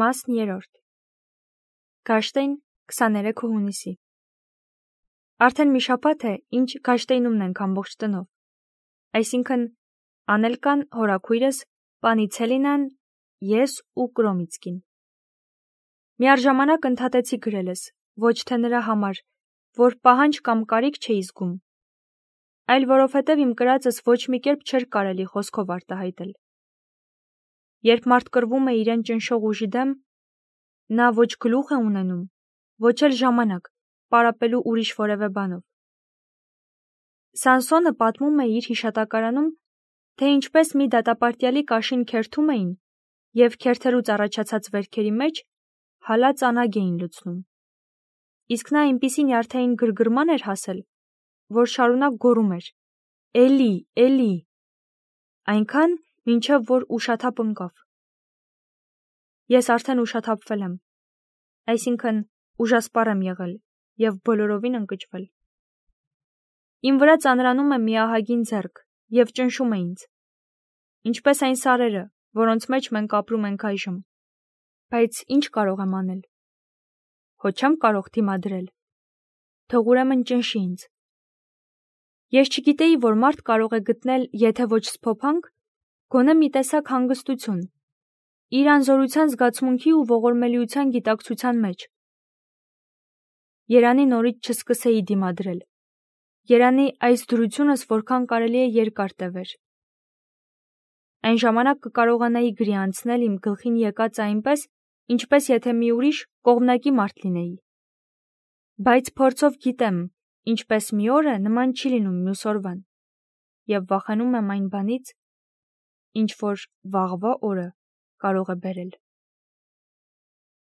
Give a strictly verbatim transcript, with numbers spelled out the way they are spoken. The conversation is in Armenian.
Մասն երրորդ Գաշտեին քսաներեքը հունիսի Արդեն մի շաբաթ է, ինչ Գաշտեյնումն ենք ամբողջ տնով, այսինքն Անելկան, հորաքույրս, պանի Ցելինան, ես ու Կրոմիցկին։ Միառժամանակ ընդհատեցի գրելս, ոչ թե նրա համար, որ պահանջ կամ կարիք չէի զգում, այլ որովհետև իմ կրածս ոչ մի կերպ չէր կարելի խոսքով արտահայտել։ Երբ մարդ կռվում է իրեն ճնշող ուժի դեմ, նա ոչ գլուխ է ունենում, ոչ էլ ժամանակ պարապելու ուրիշ որևէ բանով։ Սանսոնը պատմում է իր հիշատակարանում, թե ինչպես մի դատապարտյալի կաշին քերթում էին և քերթելուց առաջացած վերքերի մեջ հալած անագ էին լցնում։ Իսկ նա այնպիսի նյարդային գրգռման էր հասել, որ շարունակ գոռում էր. «Էլի, էլի», այնքան, մինչև որ ուշաթափ ընկավ։ Ես արդեն ուշաթափվել եմ, այսինքն ուժասպառ եմ եղել և բոլորովին ընկճվել։ Իմ վրա ծանրանում է մի ահագին ձեռք և ճնշում է ինձ, ինչպես այն սարերը, որոնց մեջ մենք ապրում ենք այժմ։ Բայց ինչ կարող եմ անել։ Հո չեմ կարող դիմադրել։ Թող ուրեմն ճնշի ինձ։ Ես չգիտեի, որ մարդ կարող է գտնել, եթե ոչ սփոփանք, գոնե մի տեսակ հանգստություն, իր անզորության զգացմունքի ու ողորմելիության գիտակցության մեջ։ Երանի նորից չսկսեի դիմադրել։ Երանի այս դրությունս որքան կարելի է երկար տևեր։ Այն ժամանակ կկարողանայի գրի անցնել իմ գլխին եկածը այնպես, ինչպես եթե մի ուրիշ կողմնակի մարդ լինեի։ Բայց փորձով գիտեմ, ինչպես մի օրը նման չի լինում մյուս օրվան, և վախենում եմ այն բանից, ինչ որ վաղվա օրը կարող է բերել։